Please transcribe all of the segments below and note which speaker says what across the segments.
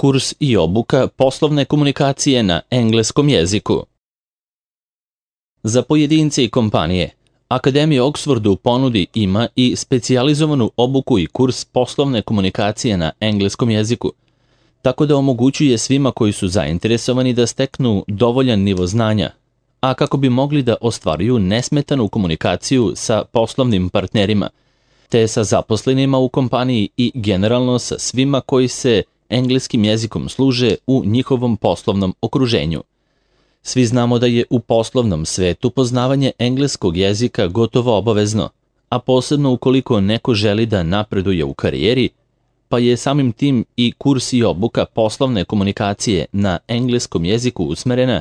Speaker 1: Kurs i obuka poslovne komunikacije na engleskom jeziku. Za pojedince i kompanije, Akademija Oxford u ponudi ima i specijalizovanu obuku i kurs poslovne komunikacije na engleskom jeziku, tako da omogućuje svima koji su zainteresovani da steknu dovoljan nivo znanja, a kako bi mogli da ostvaruju nesmetanu komunikaciju sa poslovnim partnerima, te sa zaposlenima u kompaniji i generalno sa svima koji se engleskim jezikom služe u njihovom poslovnom okruženju. Svi znamo da je u poslovnom svetu poznavanje engleskog jezika gotovo obavezno, a posebno ukoliko neko želi da napreduje u karijeri, pa je samim tim i kurs i obuka poslovne komunikacije na engleskom jeziku usmerena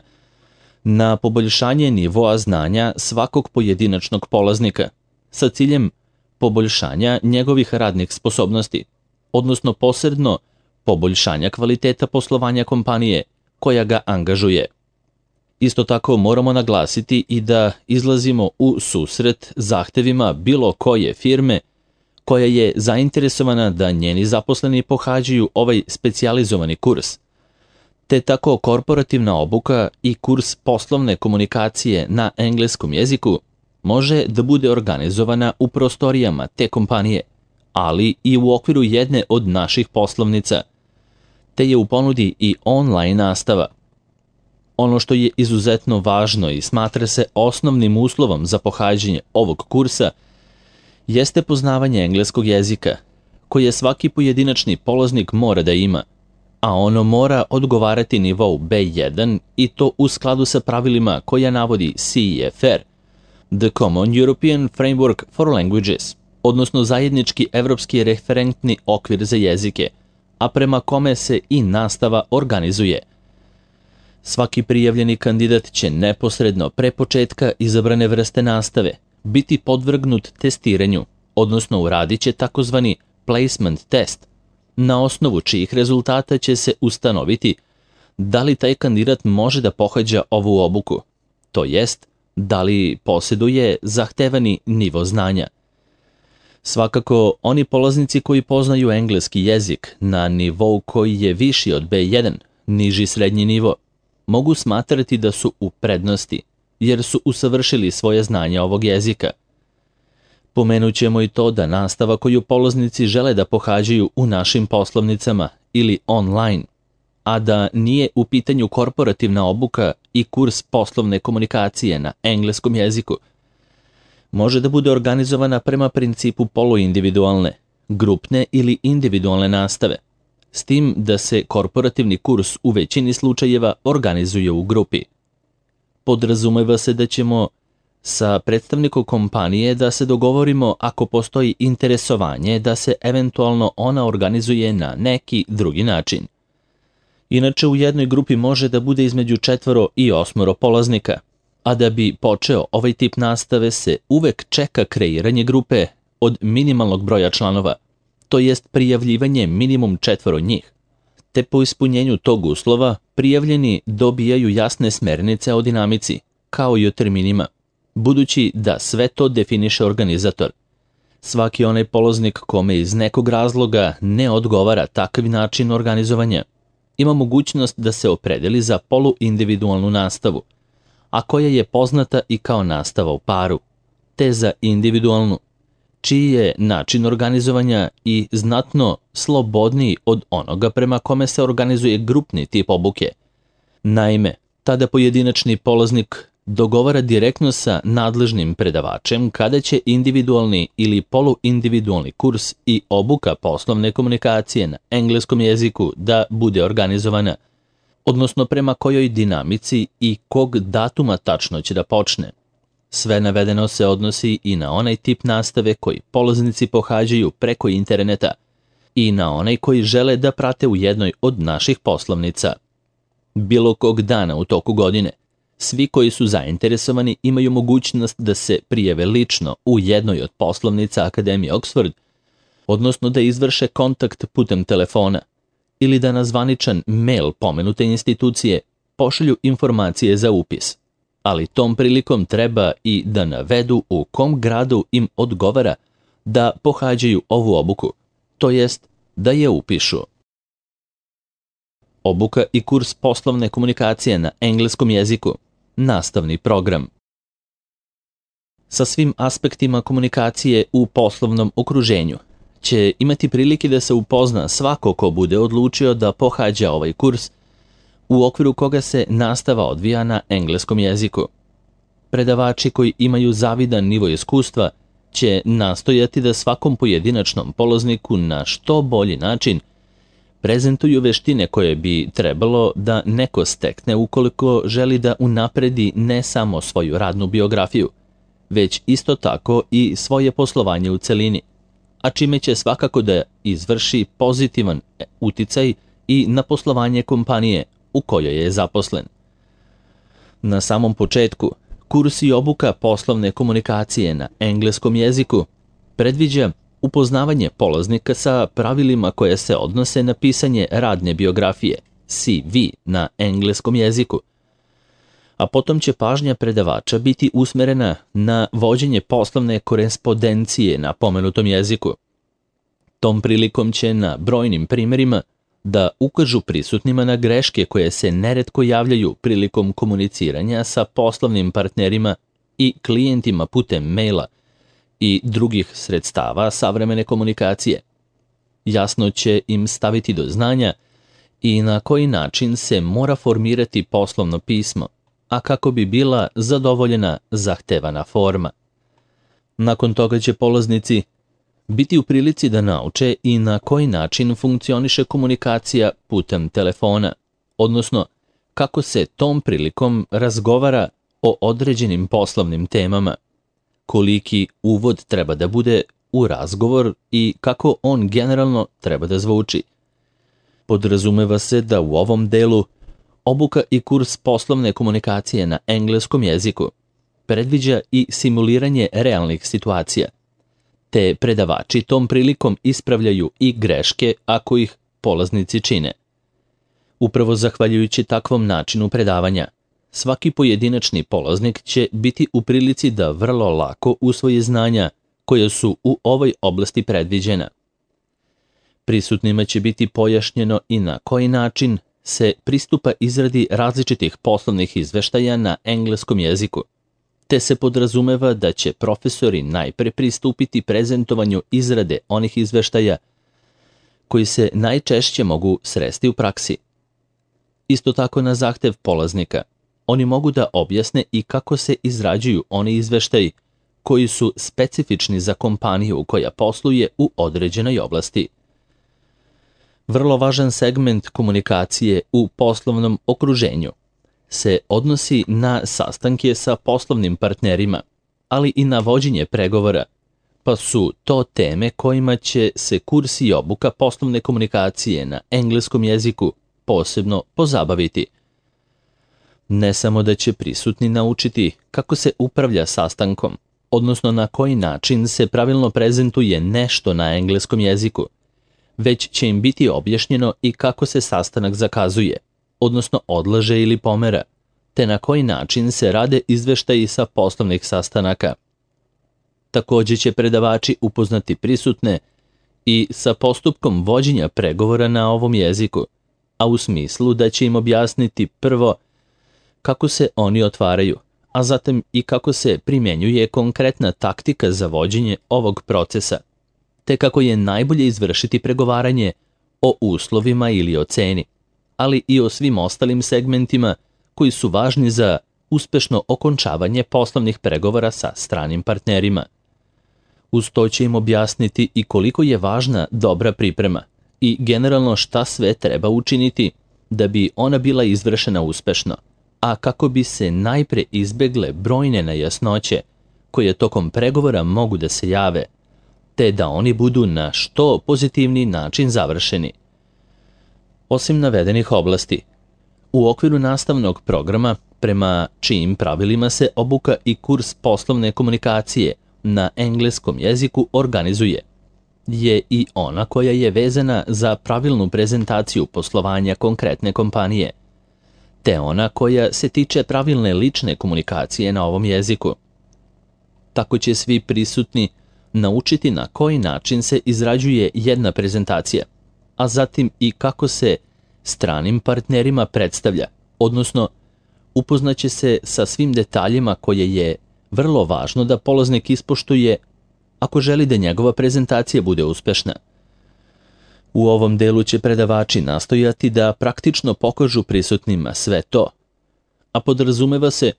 Speaker 1: na poboljšanje nivoa znanja svakog pojedinačnog polaznika, sa ciljem poboljšanja njegovih radnih sposobnosti, odnosno posredno poboljšanja kvaliteta poslovanja kompanije koja ga angažuje. Isto tako moramo naglasiti i da izlazimo u susret zahtevima bilo koje firme koja je zainteresovana da njeni zaposleni pohađaju ovaj specijalizovani kurs, te tako korporativna obuka i kurs poslovne komunikacije na engleskom jeziku može da bude organizovana u prostorijama te kompanije, ali i u okviru jedne od naših poslovnica, te je u ponudi i online nastava. Ono što je izuzetno važno i smatra se osnovnim uslovom za pohađanje ovog kursa jeste poznavanje engleskog jezika, koje svaki pojedinačni polaznik mora da ima, a ono mora odgovarati nivou B1 i to u skladu sa pravilima koja navodi CEFR, The Common European Framework for Languages, odnosno zajednički evropski referentni okvir za jezike, a prema kome se i nastava organizuje. Svaki prijavljeni kandidat će neposredno pre početka izabrane vrste nastave biti podvrgnut testiranju, odnosno uradit će takozvani placement test, na osnovu čijih rezultata će se ustanoviti da li taj kandidat može da pohađa ovu obuku, to jest da li posjeduje zahtevani nivo znanja. Svakako, oni polaznici koji poznaju engleski jezik na nivou koji je viši od B1, niži srednji nivo, mogu smatrati da su u prednosti, jer su usavršili svoje znanje ovog jezika. Pomenut ćemo i to da nastava koju polaznici žele da pohađaju u našim poslovnicama ili online, a da nije u pitanju korporativna obuka i kurs poslovne komunikacije na engleskom jeziku, može da bude organizovana prema principu poluindividualne, grupne ili individualne nastave, s tim da se korporativni kurs u većini slučajeva organizuje u grupi. Podrazumeva se da ćemo sa predstavnikom kompanije da se dogovorimo ako postoji interesovanje da se eventualno ona organizuje na neki drugi način. Inače, u jednoj grupi može da bude između 4 i 8 polaznika, a da bi počeo ovaj tip nastave se uvek čeka kreiranje grupe od minimalnog broja članova, to jest prijavljivanje minimum 4 njih, te po ispunjenju tog uslova prijavljeni dobijaju jasne smernice o dinamici, kao i o terminima, budući da sve to definiše organizator. Svaki onaj polaznik kome iz nekog razloga ne odgovara takav način organizovanja, ima mogućnost da se opredeli za poluindividualnu nastavu, a koja je poznata i kao nastava u paru, te za individualnu, čiji je način organizovanja i znatno slobodniji od onoga prema kome se organizuje grupni tip obuke. Naime, tada pojedinačni polaznik dogovara direktno sa nadležnim predavačem kada će individualni ili poluindividualni kurs i obuka poslovne komunikacije na engleskom jeziku da bude organizovana, odnosno prema kojoj dinamici i kog datuma tačno će da počne. Sve navedeno se odnosi i na onaj tip nastave koji polaznici pohađaju preko interneta i na onaj koji žele da prate u jednoj od naših poslovnica. Bilo kog dana u toku godine, svi koji su zainteresovani imaju mogućnost da se prijave lično u jednoj od poslovnica Akademije Oxford, odnosno da izvrše kontakt putem telefona ili da na zvaničan mail pomenute institucije pošalju informacije za upis. Ali tom prilikom treba i da navedu u kom gradu im odgovara da pohađaju ovu obuku, to jest da je upišu. Obuka i kurs poslovne komunikacije na engleskom jeziku. Nastavni program. Sa svim aspektima komunikacije u poslovnom okruženju će imati prilike da se upozna svako ko bude odlučio da pohađa ovaj kurs, u okviru koga se nastava odvija na engleskom jeziku. Predavači koji imaju zavidan nivo iskustva će nastojati da svakom pojedinačnom polazniku na što bolji način prezentuju veštine koje bi trebalo da neko stekne ukoliko želi da unapredi ne samo svoju radnu biografiju, već isto tako i svoje poslovanje u celini, a čime će svakako da izvrši pozitivan uticaj i na poslovanje kompanije u kojoj je zaposlen. Na samom početku, kurs i obuka poslovne komunikacije na engleskom jeziku predviđa upoznavanje polaznika sa pravilima koje se odnose na pisanje radne biografije, CV, na engleskom jeziku, a potom će pažnja predavača biti usmerena na vođenje poslovne korespondencije na pomenutom jeziku. Tom prilikom će na brojnim primerima da ukažu prisutnima na greške koje se neretko javljaju prilikom komuniciranja sa poslovnim partnerima i klijentima putem maila i drugih sredstava savremene komunikacije. Jasno će im staviti do znanja i na koji način se mora formirati poslovno pismo, a kako bi bila zadovoljena zahtevana forma. Nakon toga će polaznici biti u prilici da nauče i na koji način funkcioniše komunikacija putem telefona, odnosno kako se tom prilikom razgovara o određenim poslovnim temama, koliki uvod treba da bude u razgovor i kako on generalno treba da zvuči. Podrazumeva se da u ovom delu obuka i kurs poslovne komunikacije na engleskom jeziku predviđa i simuliranje realnih situacija, te predavači tom prilikom ispravljaju i greške ako ih polaznici čine. Upravo zahvaljujući takvom načinu predavanja, svaki pojedinačni polaznik će biti u prilici da vrlo lako usvoji znanja koja su u ovoj oblasti predviđena. Prisutnima će biti pojašnjeno i na koji način se pristupa izradi različitih poslovnih izveštaja na engleskom jeziku, te se podrazumeva da će profesori najpre pristupiti prezentovanju izrade onih izveštaja koji se najčešće mogu sresti u praksi. Isto tako na zahtev polaznika, oni mogu da objasne i kako se izrađuju oni izveštaji koji su specifični za kompaniju koja posluje u određenoj oblasti. Vrlo važan segment komunikacije u poslovnom okruženju se odnosi na sastanke sa poslovnim partnerima, ali i na vođenje pregovora, pa su to teme kojima će se kurs i obuka poslovne komunikacije na engleskom jeziku posebno pozabaviti. Ne samo da će prisutni naučiti kako se upravlja sastankom, odnosno na koji način se pravilno prezentuje nešto na engleskom jeziku, već će im biti objašnjeno i kako se sastanak zakazuje, odnosno odlaže ili pomera, te na koji način se rade izveštaji sa poslovnih sastanaka. Takođe će predavači upoznati prisutne i sa postupkom vođenja pregovora na ovom jeziku, a u smislu da će im objasniti prvo kako se oni otvaraju, a zatim i kako se primjenjuje konkretna taktika za vođenje ovog procesa, te kako je najbolje izvršiti pregovaranje o uslovima ili o ceni, ali i o svim ostalim segmentima koji su važni za uspešno okončavanje poslovnih pregovora sa stranim partnerima. Uz to će im objasniti i koliko je važna dobra priprema i generalno šta sve treba učiniti da bi ona bila izvršena uspešno, a kako bi se najpre izbegle brojne nejasnoće koje tokom pregovora mogu da se jave, te da oni budu na što pozitivni način završeni. Osim navedenih oblasti, u okviru nastavnog programa, prema čijim pravilima se obuka i kurs poslovne komunikacije na engleskom jeziku organizuje, je i ona koja je vezana za pravilnu prezentaciju poslovanja konkretne kompanije, te ona koja se tiče pravilne lične komunikacije na ovom jeziku. Tako će svi prisutni naučiti na koji način se izrađuje jedna prezentacija, a zatim i kako se stranim partnerima predstavlja, odnosno upoznaće se sa svim detaljima koje je vrlo važno da polaznik ispoštuje ako želi da njegova prezentacija bude uspešna. U ovom delu će predavači nastojati da praktično pokažu prisutnima sve to, a podrazumeva se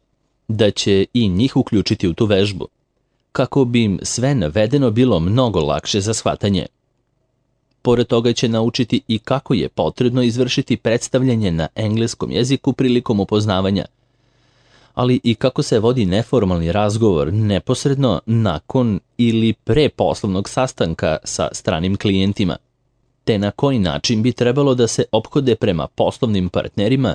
Speaker 1: da će i njih uključiti u tu vežbu, kako bi im sve navedeno bilo mnogo lakše za shvatanje. Pored toga će naučiti i kako je potrebno izvršiti predstavljanje na engleskom jeziku prilikom upoznavanja, ali i kako se vodi neformalni razgovor neposredno nakon ili pre poslovnog sastanka sa stranim klijentima, te na koji način bi trebalo da se ophode prema poslovnim partnerima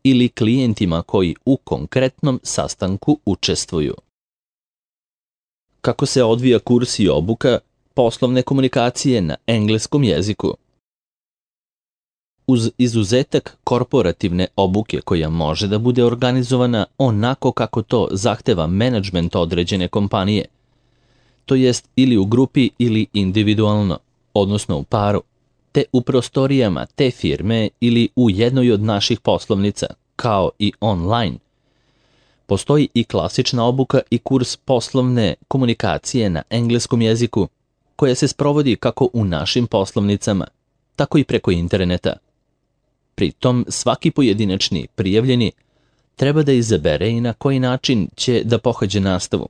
Speaker 1: ili klijentima koji u konkretnom sastanku učestvuju. Kako se odvija kurs i obuka poslovne komunikacije na engleskom jeziku? Uz izuzetak korporativne obuke koja može da bude organizovana onako kako to zahteva menadžment određene kompanije, to jest ili u grupi ili individualno, odnosno u paru, te u prostorijama te firme ili u jednoj od naših poslovnica, kao i online. Postoji i klasična obuka i kurs poslovne komunikacije na engleskom jeziku, koja se sprovodi kako u našim poslovnicama, tako i preko interneta. Pritom, svaki pojedinačni prijavljeni treba da izabere i na koji način će da pohađe nastavu,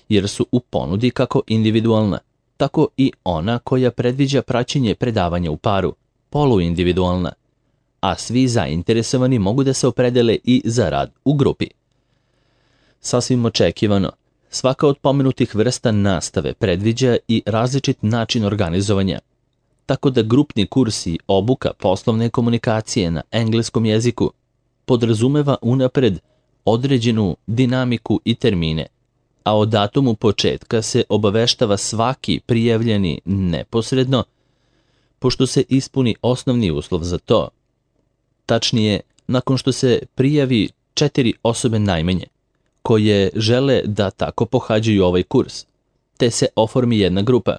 Speaker 1: jer su u ponudi kako individualna, tako i ona koja predviđa praćenje predavanja u paru, poluindividualna, a svi zainteresovani mogu da se opredele i za rad u grupi. Sasvim očekivano, svaka od pomenutih vrsta nastave predviđa i različit način organizovanja, tako da grupni kurs i obuka poslovne komunikacije na engleskom jeziku podrazumeva unapred određenu dinamiku i termine, a o datumu početka se obaveštava svaki prijavljeni neposredno, pošto se ispuni osnovni uslov za to. Tačnije, nakon što se prijavi 4 osobe najmanje, koje žele da tako pohađaju ovaj kurs, te se oformi jedna grupa.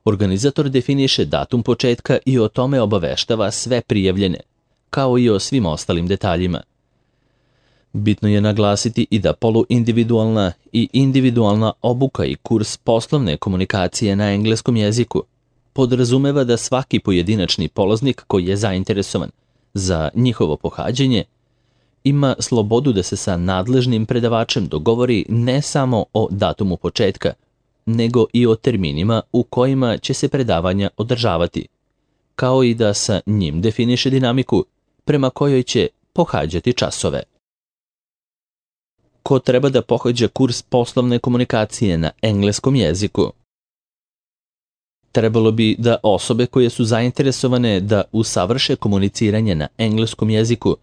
Speaker 1: Organizator definiše datum početka i o tome obaveštava sve prijavljene, kao i o svim ostalim detaljima. Bitno je naglasiti i da poluindividualna i individualna obuka i kurs poslovne komunikacije na engleskom jeziku podrazumeva da svaki pojedinačni polaznik koji je zainteresovan za njihovo pohađanje ima slobodu da se sa nadležnim predavačem dogovori ne samo o datumu početka, nego i o terminima u kojima će se predavanja održavati, kao i da sa njim definiše dinamiku prema kojoj će pohađati časove. Ko treba da pohađa kurs poslovne komunikacije na engleskom jeziku? Trebalo bi da osobe koje su zainteresovane da usavrše komuniciranje na engleskom jeziku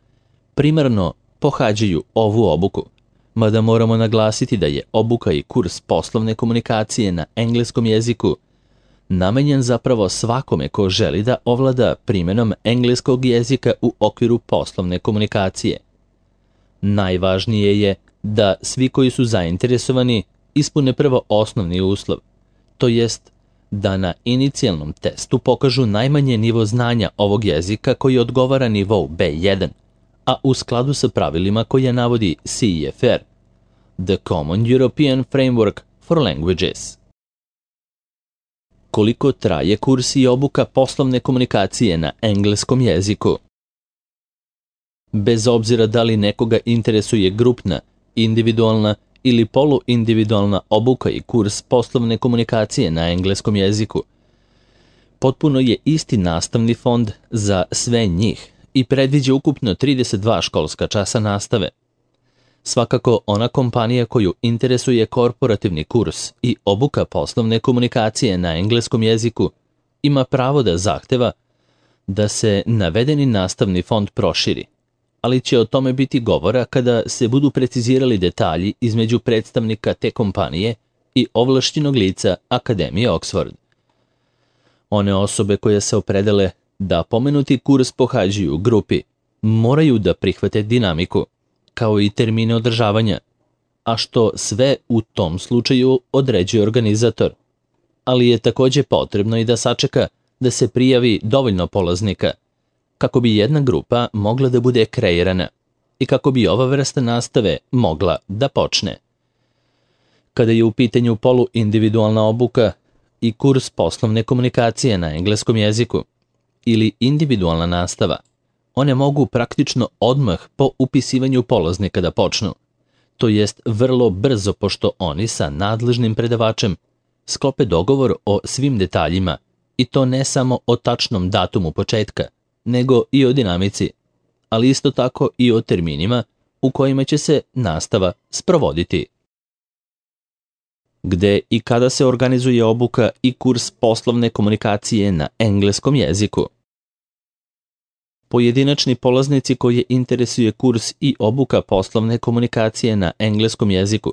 Speaker 1: primarno pohađaju ovu obuku, mada moramo naglasiti da je obuka i kurs poslovne komunikacije na engleskom jeziku namenjen zapravo svakome ko želi da ovlada primenom engleskog jezika u okviru poslovne komunikacije. Najvažnije je da svi koji su zainteresovani ispune prvo osnovni uslov, to jest da na inicijalnom testu pokažu najmanje nivo znanja ovog jezika koji odgovara nivou B1, a u skladu sa pravilima koje navodi CEFR, The Common European Framework for Languages. Koliko traje kurs i obuka poslovne komunikacije na engleskom jeziku? Bez obzira da li nekoga interesuje grupna, individualna ili poluindividualna obuka i kurs poslovne komunikacije na engleskom jeziku, potpuno je isti nastavni fond za sve njih i predviđa ukupno 32 školska časa nastave. Svakako, ona kompanija koju interesuje korporativni kurs i obuka poslovne komunikacije na engleskom jeziku ima pravo da zahteva da se navedeni nastavni fond proširi, ali će o tome biti govora kada se budu precizirali detalji između predstavnika te kompanije i ovlašćenog lica Akademije Oxford. One osobe koje se opredele da pomenuti kurs pohađaju u grupi moraju da prihvate dinamiku, kao i termine održavanja, a što sve u tom slučaju određuje organizator. Ali je takođe potrebno i da sačeka da se prijavi dovoljno polaznika, kako bi jedna grupa mogla da bude kreirana i kako bi ova vrsta nastave mogla da počne. Kada je u pitanju poluindividualna obuka i kurs poslovne komunikacije na engleskom jeziku ili individualna nastava, one mogu praktično odmah po upisivanju polaznika da počnu, to jest vrlo brzo pošto oni sa nadležnim predavačem sklope dogovor o svim detaljima i to ne samo o tačnom datumu početka, nego i o dinamici, ali isto tako i o terminima u kojima će se nastava sprovoditi. Gde i kada se organizuje obuka i kurs poslovne komunikacije na engleskom jeziku? Pojedinačni polaznici koje interesuje kurs i obuka poslovne komunikacije na engleskom jeziku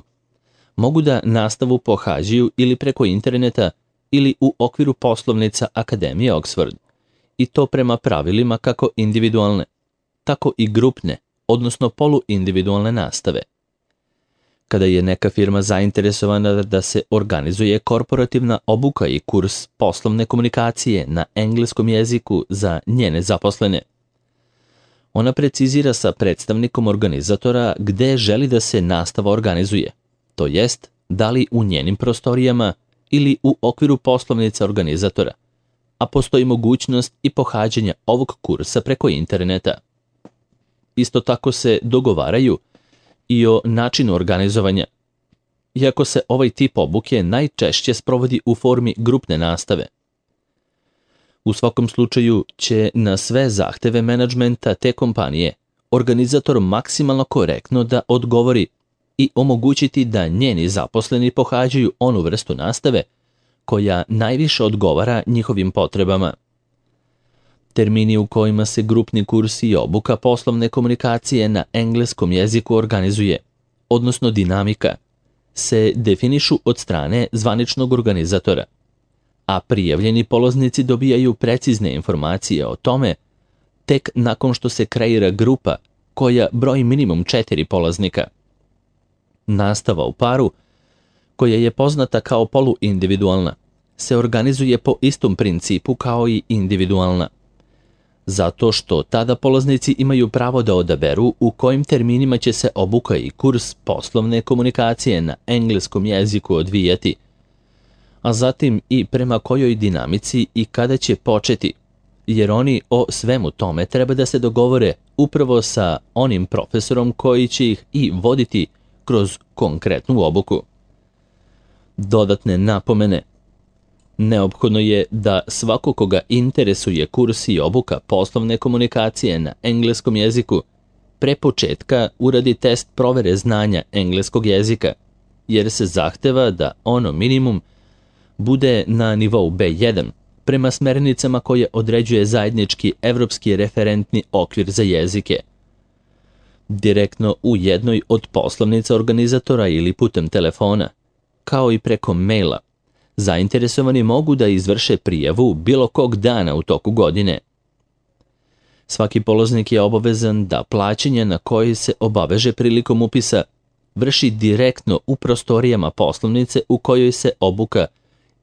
Speaker 1: mogu da nastavu pohađaju ili preko interneta ili u okviru poslovnica Akademije Oxford, i to prema pravilima kako individualne, tako i grupne, odnosno poluindividualne nastave. Kada je neka firma zainteresovana da se organizuje korporativna obuka i kurs poslovne komunikacije na engleskom jeziku za njene zaposlene, ona precizira sa predstavnikom organizatora gde želi da se nastava organizuje, to jest da li u njenim prostorijama ili u okviru poslovnica organizatora, a postoji mogućnost i pohađanja ovog kursa preko interneta. Isto tako se dogovaraju i o načinu organizovanja, iako se ovaj tip obuke najčešće sprovodi u formi grupne nastave. U svakom slučaju će na sve zahteve menadžmenta te kompanije organizator maksimalno korektno da odgovori i omogućiti da njeni zaposleni pohađaju onu vrstu nastave koja najviše odgovara njihovim potrebama. Termini u kojima se grupni kurs i obuka poslovne komunikacije na engleskom jeziku organizuje, odnosno dinamika, se definišu od strane zvaničnog organizatora, a prijavljeni polaznici dobijaju precizne informacije o tome tek nakon što se kreira grupa koja broji minimum 4 polaznika. Nastava u paru, koja je poznata kao poluindividualna, se organizuje po istom principu kao i individualna, zato što tada polaznici imaju pravo da odaberu u kojim terminima će se obuka i kurs poslovne komunikacije na engleskom jeziku odvijati, a zatim i prema kojoj dinamici i kada će početi, jer oni o svemu tome treba da se dogovore upravo sa onim profesorom koji će ih i voditi kroz konkretnu obuku. Dodatne napomene. Neophodno je da svako koga interesuje kurs i obuka poslovne komunikacije na engleskom jeziku pre početka uradi test provere znanja engleskog jezika, jer se zahteva da ono minimum bude na nivou B1 prema smernicama koje određuje zajednički evropski referentni okvir za jezike. Direktno u jednoj od poslovnica organizatora ili putem telefona, kao i preko maila, zainteresovani mogu da izvrše prijavu bilo kog dana u toku godine. Svaki polaznik je obavezan da plaćanje na koje se obaveže prilikom upisa vrši direktno u prostorijama poslovnice u kojoj se obuka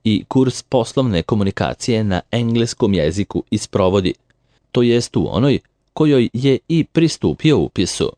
Speaker 1: i kurs poslovne komunikacije na engleskom jeziku isprovodi, to jest u onoj kojoj je i pristupio upisu.